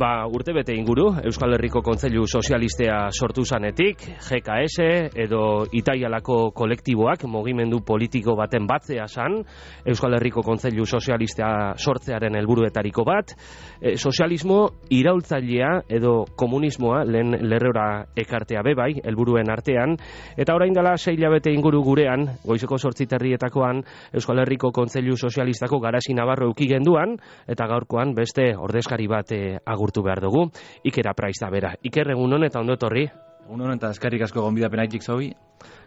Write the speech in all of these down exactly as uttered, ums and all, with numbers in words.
Ba, urte bete inguru, Euskal Herriko Kontseilu Sozialistea sortu zanetik, G K S edo Itaialako kolektiboak mugimendu politiko baten batzea zan, Euskal Herriko Kontseilu Sozialistea sortzearen helburuetariko bat, e, sozialismo iraultzailea edo komunismoa lehen lerrora ekartea bebai, helburuen artean, eta orain dela sei hilabete inguru gurean, goizeko zortzi terrietakoan, Euskal Herriko Kontseilu Sozialistako garasi nabarro euki genduan, eta gaurkoan beste ordezkari bat e, agurtu behar dugu, Iker Apraiz da bera. Iker, egun honen eta ondo etorri? Egun honen eta eskerrik asko gonbidapenaitik zaubi.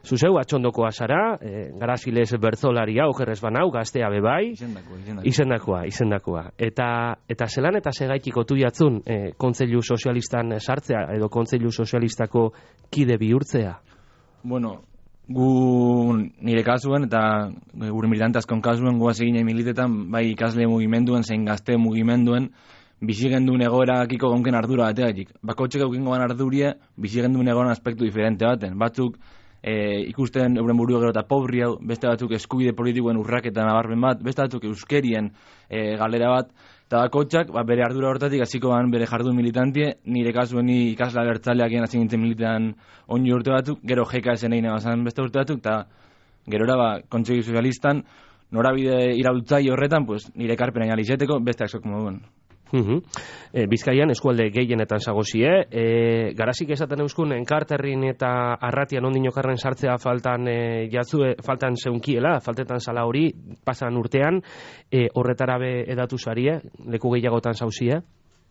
Zuzeu, atxondokoa zara, e, garaziles bertzolaria, okerrez banau, gaztea bebai. Izendakoa, izendakoa. Izendakoa, izendakoa. Eta, eta zelan eta segaitik otu jatzun e, Kontseilu Sozialistan sartzea, edo Kontseilu Sozialistako kide bihurtzea? Bueno, gu nire kasuen eta gure militante askon kasuen guaz egine militetan, bai ikasle mugimenduen, zein gazte mugimenduen, bizigenduen egoerakiko gonken ardura bateatik. Bakotxek eukingoan ardurie, bizigenduen egoeran aspektu diferente baten. Batzuk e, ikusten euren burua gero eta pobri hau, beste batzuk eskubide politikoen urraketan nabarmen bat, beste batzuk euskerien e, galera bat, eta bakotxak ba, bere ardura hortatik hasiko ban bere jardun militantie, nire kasuen ni ikasla bertzaleak egin hasi nintzen militan onju urte batzuk, gero G K S egin egin beste urte batzuk, eta gerora ba, Kontseilu Sozialistan norabide iraultzai horretan, pues, nire karpena inalizeteko, beste aksok moduen. Uhum. E, Bizkaian eskualde gehienetan zagozie, e, garazik esaten euskun enkarterrin eta arratian ondinokarren sartzea faltan e, jatzue, faltan zeunkiela, faltetan zala hori, pasan urtean, e, horretara be edatu zarie, leku gehiagotan zauzie?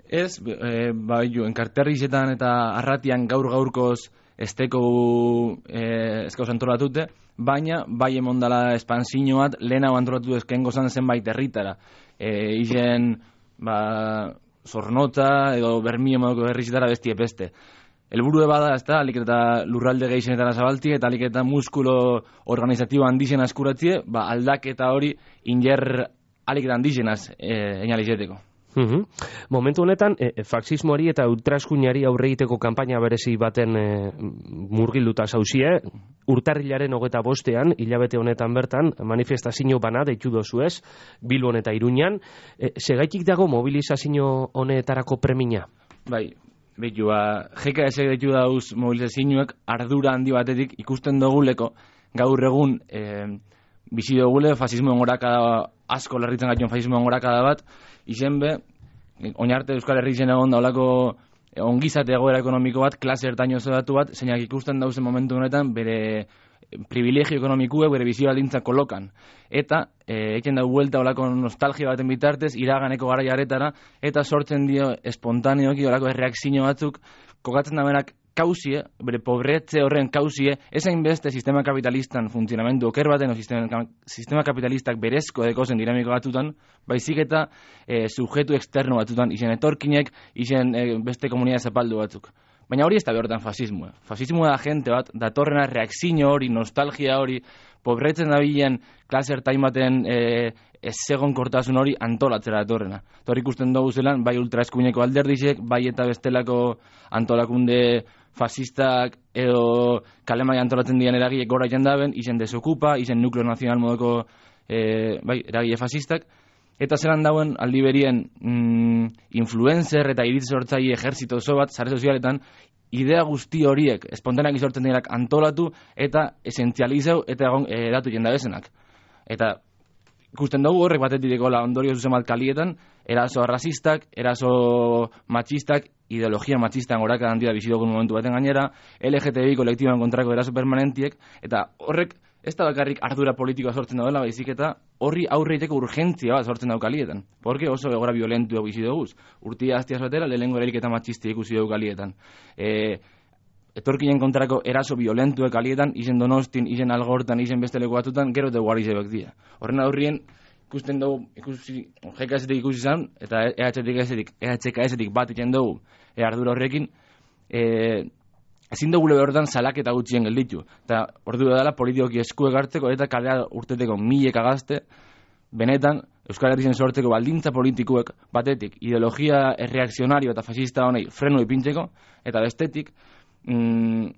Ez, e, ba, jo, enkarterrizetan eta arratian gaur gaurkoz esteko e, eskauz antolatute, baina bai emondala espansiño bat, lehenago antolatu ezkengo zan zenbait herritara. E, izen ba, Zornotza edo Bermio modoko herrizetara bestie beste. Helburue bada, ez da, alik eta lurralde gehixenetara zabalti, eta alik eta muskulo organizatibo handixen askuratzie, ba, aldaketa hori inger alik eta handixenaz e, enalizeteko. Uhum. Momentu honetan, e, faxismoari eta ultraeskuinari aurre egiteko kanpaina berezi baten e, murgilduta zauzie, urtarrilaren hogeta bostean, hilabete honetan bertan, manifestazio bana deitu dozuez, Bilbon eta Iruñan, e, segaitik dago mobilizazio honetarako premina? Bai, behitu, ba, G K S deitu dauz mobilizazioak ardura handi batetik ikusten doguleko, gaur egun e, bizi dogule fasismoen gorakada asko larritzen gaitu fasismoen gorakada bat, izen be, oinarte Euskal Herri zen egon daulako ongizate egoera ekonomiko bat, klase ertaino zedatu bat, zeinak ikusten dauzen momentu honetan bere privilegio ekonomikue, bere bizio baldintza kolokan. Eta, e, eken dau buelta olako nostalgia baten bitartez, iraganeko gara jaretara, eta sortzen dio espontaneoki olako erreakzio batzuk, kokatzen da berak kausie, bere pobretze horren kausie, ezain beste sistema kapitalistan funtzionamendu oker baten, o sistema, sistema kapitalistak berezko dekozen dinamiko batutan, baizik eta e, sujetu externo batutan, izen etorkinek, izen e, beste komunidad zapaldu batzuk. Baina hori ez da behortan fasismoa. Fasismoa da gente bat, datorrena reakzio hori, nostalgia hori, pobretzen da bilen klaser taimaten e, ez segon kortasun hori antolatzera datorrena. Hor ikusten dugu zelan, bai ultraeskuineko alderdizek, bai eta bestelako antolakunde fasistak edo kalemai antolatzen dian eragile gora jendaben, izen desokupa, izen nukleo nazional modoko e, bai, eragile fasistak, eta zelan dauen aldi berien mm, influencer eta iritz sortzaile ejerzito oso bat, sare sozialetan, idea guzti horiek, espontaneak izortzen direnak antolatu eta esentzializeu eta egon edatu jendabezenak. Eta ikusten dugu horrek batetik dekola ondorio zuzen bat kalietan, eraso arrazistak, eraso matxistak, ideologia matxistan goraka handi da bizidogun momentu baten gainera, L G T B I kolektiboan kontrako eraso permanentiek, eta horrek ez da bakarrik ardura politikoa sortzen daudela, baizik eta horri aurre egiteko urgentzia bat sortzen daukalietan. Porque oso egora violentu bizi duguz. Urtia aztiaz batera, lehengo erailketa matxistia ikusi dugu kalietan. E, etorkinen kontrako eraso violentuek kalietan, izen Donostin, izen Algortan, izen beste leku batutan, gero te guarizebek dira. Horren aurrien, ikusten dugu, ikusi, G K S-etik ikusi zan, eta E H K S-etik bat itzen dugu, e, ardura horrekin, e, ezin dugu lebe horretan salaketa gutxien gelditu. Eta ordu dela politikoki eskuek hartzeko eta kalea urteteko mileka gazte, benetan, Euskal Herrien sortzeko baldintza politikuek batetik ideologia erreakzionario eta fascista honei frenu ipintzeko, eta bestetik, mm,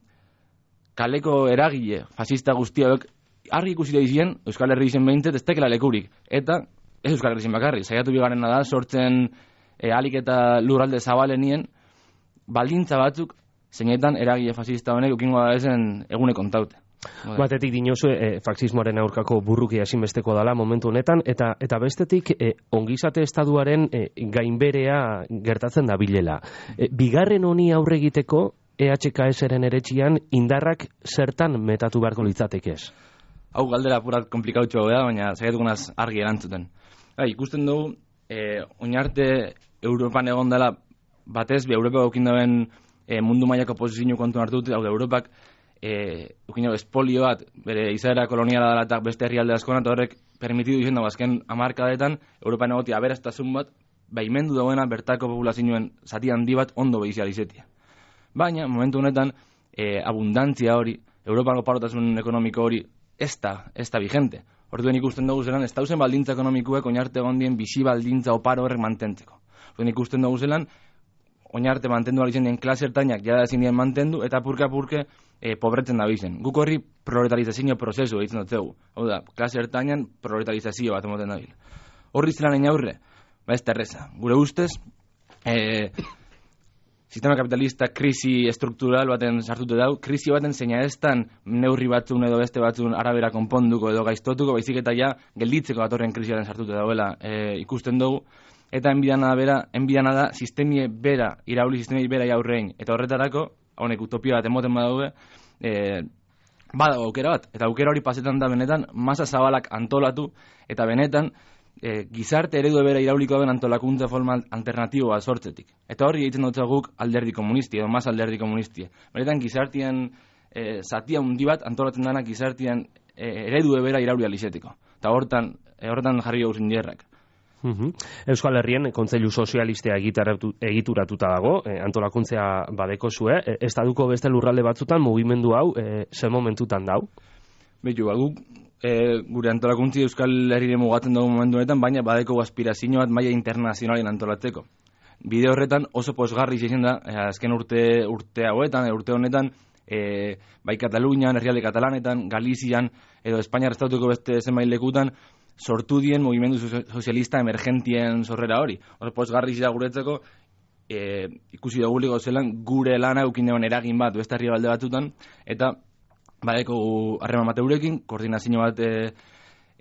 kaleko eragile fascista guztiak argi ikusi da izien Euskal Herri izen behintzet ez tekela lekurik. Eta ez Euskal Herri izen bakarri, saiatu bigarrena da sortzen e, alik eta lurralde zabalenien, baldintza batzuk, zeinetan eragile fascista honek ukingo da ezen egune kontaute. Batetik dinozu, e, faxismoaren aurkako burrukia ezinbesteko dala momentu honetan, eta eta bestetik e, ongizate estaduaren e, gainberea gertatzen da bilela. E, bigarren honi aurre egiteko E H K S-ren eretxian indarrak zertan metatu beharko litzatekez? Hau galdera apurat komplikautxoa da, baina zaiatugunaz argi erantzuten. Bai, ikusten dugu, e, oinarte Europan egon dela batez, bi Europa eukin dauen e, mundu mailako posizio kontu hartu, hau da Europak e, eukin dago espolio bat, bere izaera koloniala dela eta beste herrialde askoan, eta horrek permitidu izan dago azken hamarkadetan Europan egotia aberastazun bat, baimendu dagoena bertako populazioen zati handi bat ondo behizializetia. Baina, momentu honetan, e, abundantzia hori, Europako parotasun ekonomiko hori, ez da, ez da vigente. Orduen ikusten dugu zelan, ez dauzen baldintza ekonomikuek oinarte gondien bizi baldintza oparo horrek mantentzeko. Orduen ikusten dugu zelan, oinarte mantendu alizen dien klase ertainak jada ezin dien mantendu, eta purka-purke e, pobretzen da bizen. Guk horri proletarizazio prozesu egiten dut zegu. Hau da, klase ertainan proletarizazio bat emoten dabil. Horri zelan egin aurre, ba ez terreza. Gure ustez, e, sistema kapitalista krisi estruktural baten sartute dau, krisi baten zeina estan neurri batzun edo beste batzun arabera konponduko edo gaiztotuko, baizik eta ja gelditzeko datorren krisi baten sartute dauela e, ikusten dugu, eta enbidana bera, enbidana da sistemie bera, irauli sistemie bera jaurrein, eta horretarako, honek utopia bat emoten badaude, e, badago aukera bat, eta aukera hori pasetan da benetan, masa zabalak antolatu, eta benetan, E, gizarte eredu bera irauliko den antolakuntza forma alternatibo bat sortzetik. Eta horri egiten dut guk alderdi komunisti, edo mas alderdi komunisti. Beretan gizartian e, zatia hundi bat antolatzen dana gizartian e, eredu bera irauli alizetiko. Eta hortan, e, hortan jarri gauzen dierrak. Uhum. Euskal Herrien Kontseilu Sozialistea egituratuta dago, e, antolakuntzea badeko zue, e, estaduko beste lurralde batzutan mugimendu hau e, ze momentutan dau? Betu, guk E, gure antolakuntzi Euskal Herrire mugatzen dugu momentu honetan, baina badeko aspirazio bat maila internazionalen antolatzeko. Bide horretan oso posgarri izan da, e, azken urte, urte hauetan, e, urte honetan, e, bai Katalunian, herrialde Katalanetan, Galizian, edo Espainiar estatuko beste zenbait lekutan, sortu dien mugimendu sozialista emergentien sorrera hori. Oso posgarri izan guretzeko, e, ikusi duguliko zelan gure lana eukin deban eragin bat, beste herrialde batzutan, eta badeko harreman bat eurekin, koordinazio bat e,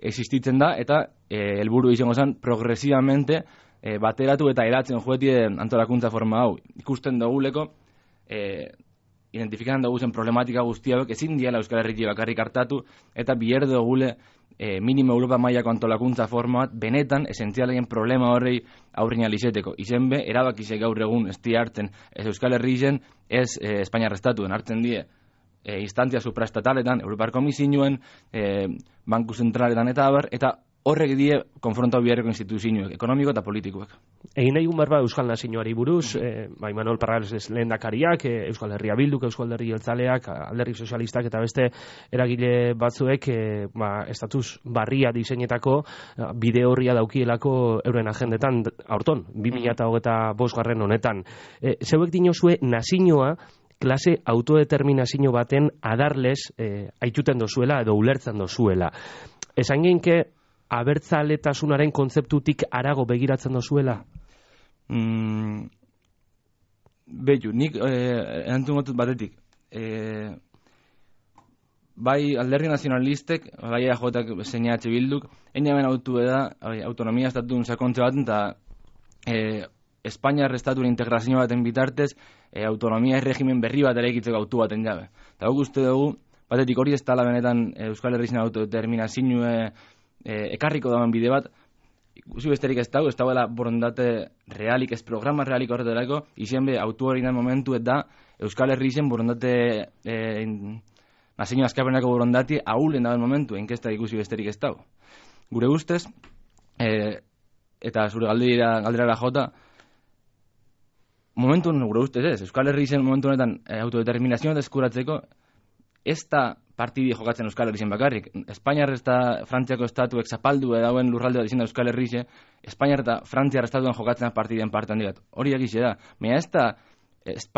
existitzen da, eta e, helburu izango zen progresivamente e, bateratu eta eratzen joetien antolakuntza forma hau. Ikusten duguleko, e, identifikan dugu zen problematika guztiak, ezin diala Euskal Herriti bakarrik hartatu, eta bier dugule e, minimo Europa mailako antolakuntza forma bat, benetan, esentzialen problema horrei aurrin alizeteko. Izen be, erabakizek gaur egun ez di hartzen, ez Euskal Herri izen, ez e, Espainiar estatuen hartzen die, E, instantzia supraestataletan, Europar Komisioen, e, Banku Zentraletan eta abar, eta horrek die konfrontau biharreko instituzioek, ekonomiko eta politikoek. Egin nahi barba Euskal Nazioari buruz, e, bai Manuel Parrales lehendakariak, e, Euskal Herria Bilduk, Euskal Herri Jeltzaleak, Alderdi Sozialistak eta beste eragile batzuek e, ba, estatus barria diseinetako bide horria daukielako euren agendetan aurton, bi mila hogeita bost garren honetan. E, zeuek dinozue nazioa klase autodeterminazio baten adarlez eh, aituten dozuela edo ulertzen dozuela. Esan genke abertzaletasunaren kontzeptutik arago begiratzen dozuela? Mm, Betu, nik eh, erantzun gotut batetik. Eh, bai alderdi nazionalistek, bai E J K zein H Bilduk, einaben autu da autonomia estatun sakontze bat, eta eh, Espainiar estaturen integrazio baten bitartez, e, autonomia erregimen berri bat eraikitzeko autu baten jabe. Eta guk uste dugu, batetik hori ez tala benetan Euskal Herrizien autodeterminazio e, e, ekarriko dauen bide bat, ikusi besterik ez dago, ez dagoela borondate realik, ez programa realik horretarako, izan be, autu hori nahi momentu eta Euskal Herrizien borondate e, nazio azkapenako borondati ahulen dauen momentu, enkesta ikusi besterik ez dago. Gure ustez, e, eta zure galdera, galdera jota, momentu gure ustez ez, Euskal Herri zen momentu honetan e, autodeterminazioa deskuratzeko ez da partidi jokatzen Euskal Herri zen bakarrik. Espainiar eta Frantziako estatuek zapaldu edauen lurralde bat izan da Euskal Herri zen, Espainiar eta Frantziar estatuen jokatzen partidien parte handi bat. Hori egize da. Baina ez da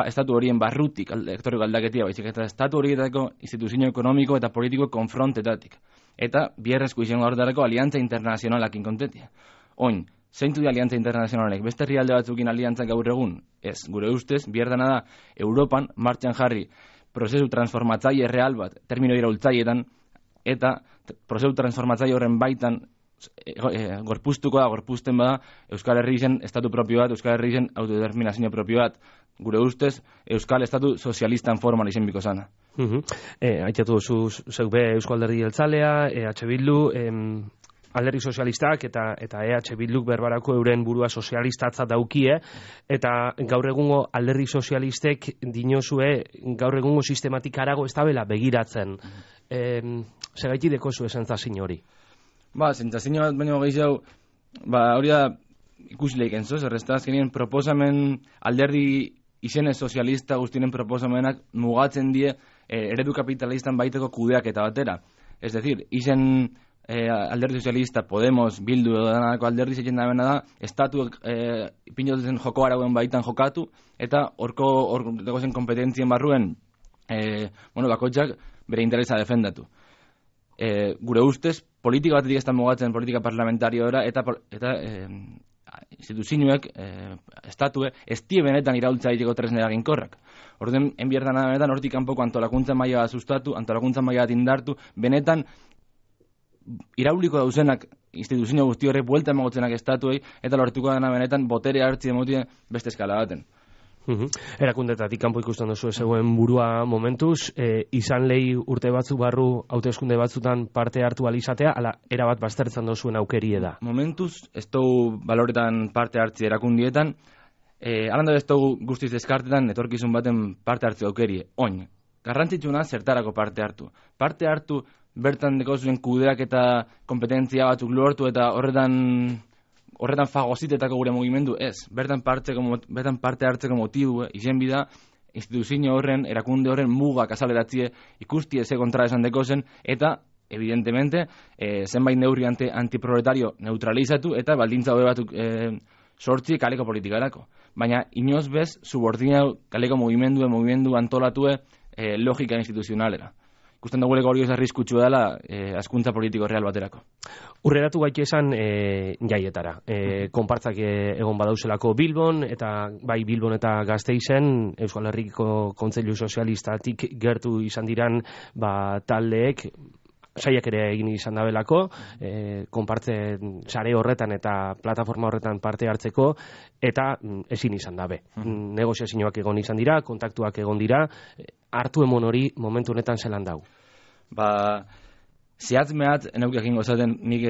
estatu horien barrutik ektoriko aldaketia, baizik eta estatu horietako instituzio ekonomiko eta politiko konfrontetatik. Eta bierrezko izango horretarako aliantza internazionalak inkontetia. Oin, Zeintu di aliantza internazionalek, beste herrialde batzukin aliantzak gaur egun? Ez, gure ustez, bierdana da, Europan martxan jarri prozesu transformatzaile real bat, termino iraultzailetan, eta prozesu transformatzaile horren baitan e, e, gorpuztuko da, gorpuzten bada, Euskal Herrien estatu propio bat, Euskal Herrien autodeterminazio propio bat, gure ustez, Euskal Estatu Sozialistan formal izen biko zana. Uh -huh. e, Aitatu zu, zeuk be Euskal Alderdi Jeltzalea, E H Bildu, em, Alderdi Sozialistak eta eta E H Bilduk berbarako euren burua sozialistatzat daukie, eta gaur egungo Alderdi Sozialistek dinozue gaur egungo sistematik arago ez dabela begiratzen. Em, Segaitik deko zu esentzazin hori? Ba, sentzazin bat baino gehiago, ba, hori da ikusi lehiken zoz, errezta azkenien proposamen alderdi izene sozialista guztinen proposamenak mugatzen die eh, eredu kapitalistan baiteko kudeak eta batera. Ez decir, izen eh, alderdi sozialista, Podemos, Bildu edo danako alderdi zeitzen da bena da, estatuek eh, pinotzen joko arauen baitan jokatu, eta horko horko zen kompetentzien barruen eh, bueno, bakoitzak bere interesa defendatu. Eh, gure ustez, politika batetik ez da mugatzen politika parlamentariora eta, eta eh, instituzioek, eh, estatue, ez die benetan iraultza egiteko tresne eraginkorrak. Orden, enbiertan benetan, hortik kanpoko antolakuntza maila bat sustatu, antolakuntza maila bat indartu, benetan irauliko dauzenak instituzio guzti horrek buelta emagotzenak estatuei, eta lortuko dena benetan botere hartzi emotien beste eskala baten. Uhum. Erakundetatik kanpo ikusten duzu zegoen burua momentuz, e, izan lehi urte batzu barru hauteskunde batzutan parte hartu alizatea, ala erabat baztertzen duzuen aukerie da? Momentuz, ez dugu baloretan parte hartzi erakundietan, e, alanda ez dugu guztiz deskartetan etorkizun baten parte hartzi aukerie, oin. Garrantzitsuna zertarako parte hartu. Parte hartu bertan deko zuen kudeak eta kompetentzia batzuk lortu eta horretan horretan fagozitetako gure mugimendu, ez. Bertan, bertan parte hartzeko motibu, eh, izen bida, instituzio horren, erakunde horren mugak azaleratzie ikusti eze kontra esan deko zen, eta, evidentemente, eh, zenbait neurri antiproletario neutralizatu, eta baldintza hobe batuk eh, sortzi kaleko politikarako. Baina, inoz bez, subordinau kaleko mugimendu, mugimendu antolatue eh, logika instituzionalera. Ikusten dugu hori ez arriskutsu dela eh, askuntza politiko real baterako. Urreratu gaiti esan e, jaietara. E, konpartzak e, egon badauzelako Bilbon, eta bai Bilbon eta Gasteizen, Euskal Herriko Kontseilu Sozialistatik gertu izan diran ba, taldeek, saiak ere egin izan dabelako, e, konpartze sare horretan eta plataforma horretan parte hartzeko, eta mm, ezin izan dabe. Mm. Negoziazioak egon izan dira, kontaktuak egon dira, hartu emon hori momentu honetan zelan dau? Ba, zehatz mehatz, enauk egin gozaten nik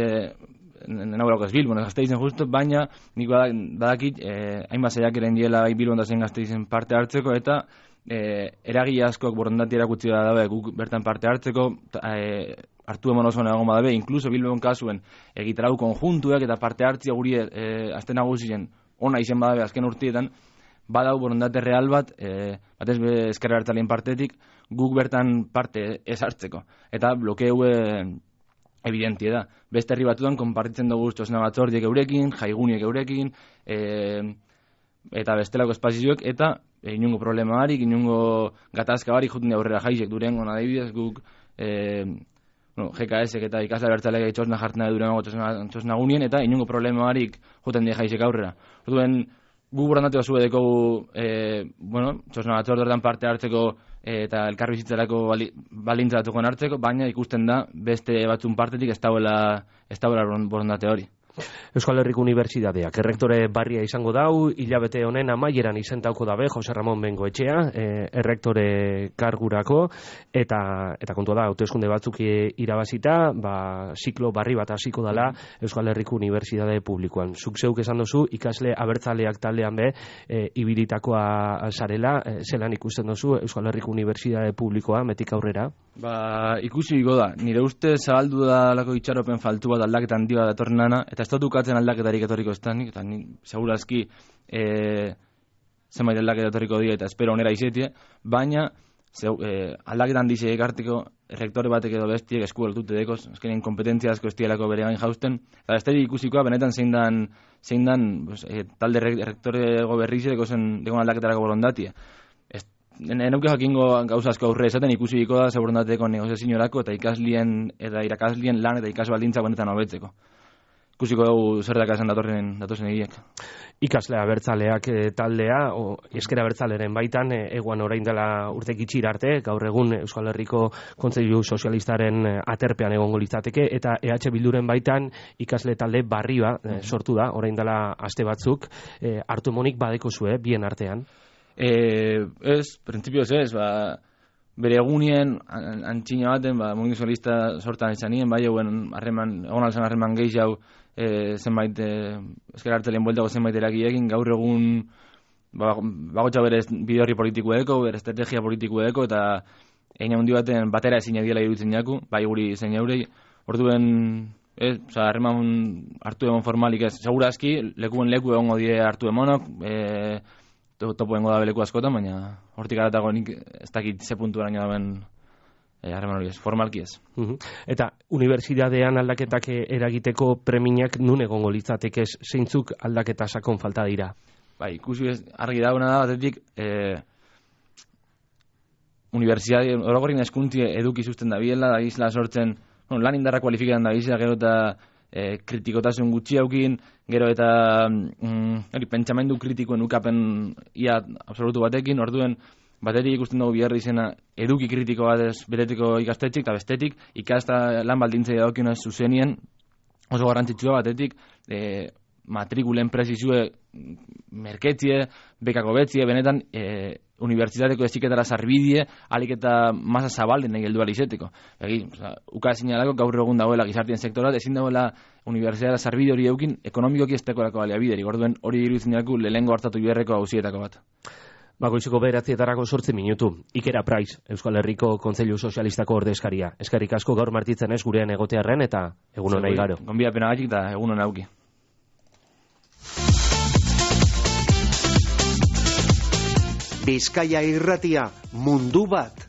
enauk ez Bilbon, Gasteizen justu, baina nik badakit, eh, hainbat zeiak eren diela bai Bilbon da zen Gasteizen parte hartzeko, eta eh, eragile askok borondati erakutsi da dabe guk bertan parte hartzeko, eh, hartu emon oso nago dabe, inkluso Bilbon kasuen egitarau konjuntuak eta parte hartzia guri eh, azten nagusien ona izen badabe azken urtietan, badau borondate real bat, e, batez be ezkerra hartzalien partetik, guk bertan parte ez hartzeko. Eta blokeu e, evidentie da. Beste herri batutan konpartitzen dugu txosna batzordiek eurekin, jaiguniek eurekin, e, eta bestelako espazioek, eta e, inungo problema barik, inungo gatazka barik juten aurrera jaizek durengo adibidez, guk e, bueno, G K S eta ikasla bertzaleak txosna jartzen da durengo txosna gunien, eta inungo problema barik juten die jaizek aurrera. Orduen, gu borondate basue dekogu, e, bueno, txosna batzordetan parte hartzeko e, eta elkarbizitzarako bali, balintzatuko hartzeko, baina ikusten da beste batzun partetik ez dauela, ez dauela borondate hori. Euskal Herriko Unibertsitateak errektore barria izango dau, hilabete honen amaieran izentauko dabe Jose Ramon Bengoetxea, e, errektore kargurako, eta eta kontua da, hauteskunde batzuk irabazita, ba, ziklo barri bat hasiko dela Euskal Herriko Unibertsitate publikoan. Zuk zeuk esan duzu, ikasle abertzaleak taldean be, e, ibilitakoa zarela, e, zelan ikusten duzu Euskal Herriko Unibertsitate publikoa, metik aurrera? Ba, ikusi igo da, nire uste zabaldu da lako itxaropen faltu bat aldaketan dio da datorrenana, eta ez dut ukatzen aldaketarik etorriko estanik, eta ni segurazki e, zenbait aldaketa etorriko dira, eta espero onera izetie, baina zeu, e, aldaketan dize ekartiko errektore batek edo bestiek esku eltute dekoz, eskenien kompetentzia asko estielako bere gain jausten, eta besterik ikusikoa benetan zein dan, zein dan pues, e, talde errektore goberrize dekozen degon aldaketarako bolondatia. Enauke jakingo gauza asko aurre esaten ikusiko da segurandateko negoziaziorako eta ikaslien eta irakaslien lan eta ikas baldintza benetan hobetzeko. ikusiko dugu zer dakazen datorren datozen egiak. Ikasle abertzaleak e, taldea, o, eskera abertzaleren baitan, e, eguan orain dela urte gitxir arte, gaur egun Euskal Herriko Kontseilu Sozialistaren aterpean egongo litzateke, eta E H Bilduren baitan ikasle talde barria e, sortu da, orain dela aste batzuk, e, hartu emonik badeko zue, bien artean. E, ez, printzipioz ez, ba, bere egunien, antxina baten, ba, mugimendu sozialista sortan izanien, bai, egun harreman, egon alzan harreman gehiago, e, zenbait, e, ezker hartelen bueltago zenbait erakiekin, gaur egun, ba, bagotxa bere bide horri politikoeko, bere estrategia politikoeko, eta egin handi baten batera ezin diela iruditzen jaku, bai guri zein eurei, orduen, ez, oza, harreman hartu emon formalik ez, segurazki, lekuen leku egongo die hartu emonok, e, topo dengo da beleku askotan, baina hortik aratago nik ez dakit ze puntu araño daben harreman hori ez, formalki ez. Uh-huh. Eta unibertsitatean aldaketak eragiteko preminak nun egongo litzateke zeintzuk aldaketa sakon falta dira? Bai, ikusi ez, argi dauna da batetik, e, unibertsitate, orokorrin eskuntzi eduki zuzten da biela, da isla sortzen, bueno, lan indarra kualifiketan da bizia, gero eta e, kritikotasun gutxi haukin, gero eta mm, hori, pentsamendu kritikoen ukapen ia absolutu batekin, orduen batetik ikusten dugu biherri izena eduki kritiko bat ez beretiko ikastetxik, eta bestetik ikasta lan baldintzei dagokion zuzenien oso garrantzitsua batetik e, matrikulen prezizue merketzie, bekako betzie, benetan e, unibertsitateko eziketara sarbidie, alik eta masa zabalden nahi heldu alizeteko. Egi, uka zinalako gaur egun dagoela gizartien sektorat, ezin dagoela unibertsitatara sarbide hori eukin ekonomikoki ez tekorako baliabideri. Orduen hori iruditzen dago lehengo hartatu biherreko hausietako bat. Bagoizeko bederatzietarako sortzi minutu. Ikera Price, Euskal Herriko Kontseilu Sozialistako ordezkaria. Eskerrik asko gaur martitzen ez gurean egotearren eta egun hona igaro. Gonbidapena gatik eta egun hona auki. Bizkaia Irratia, mundu bat.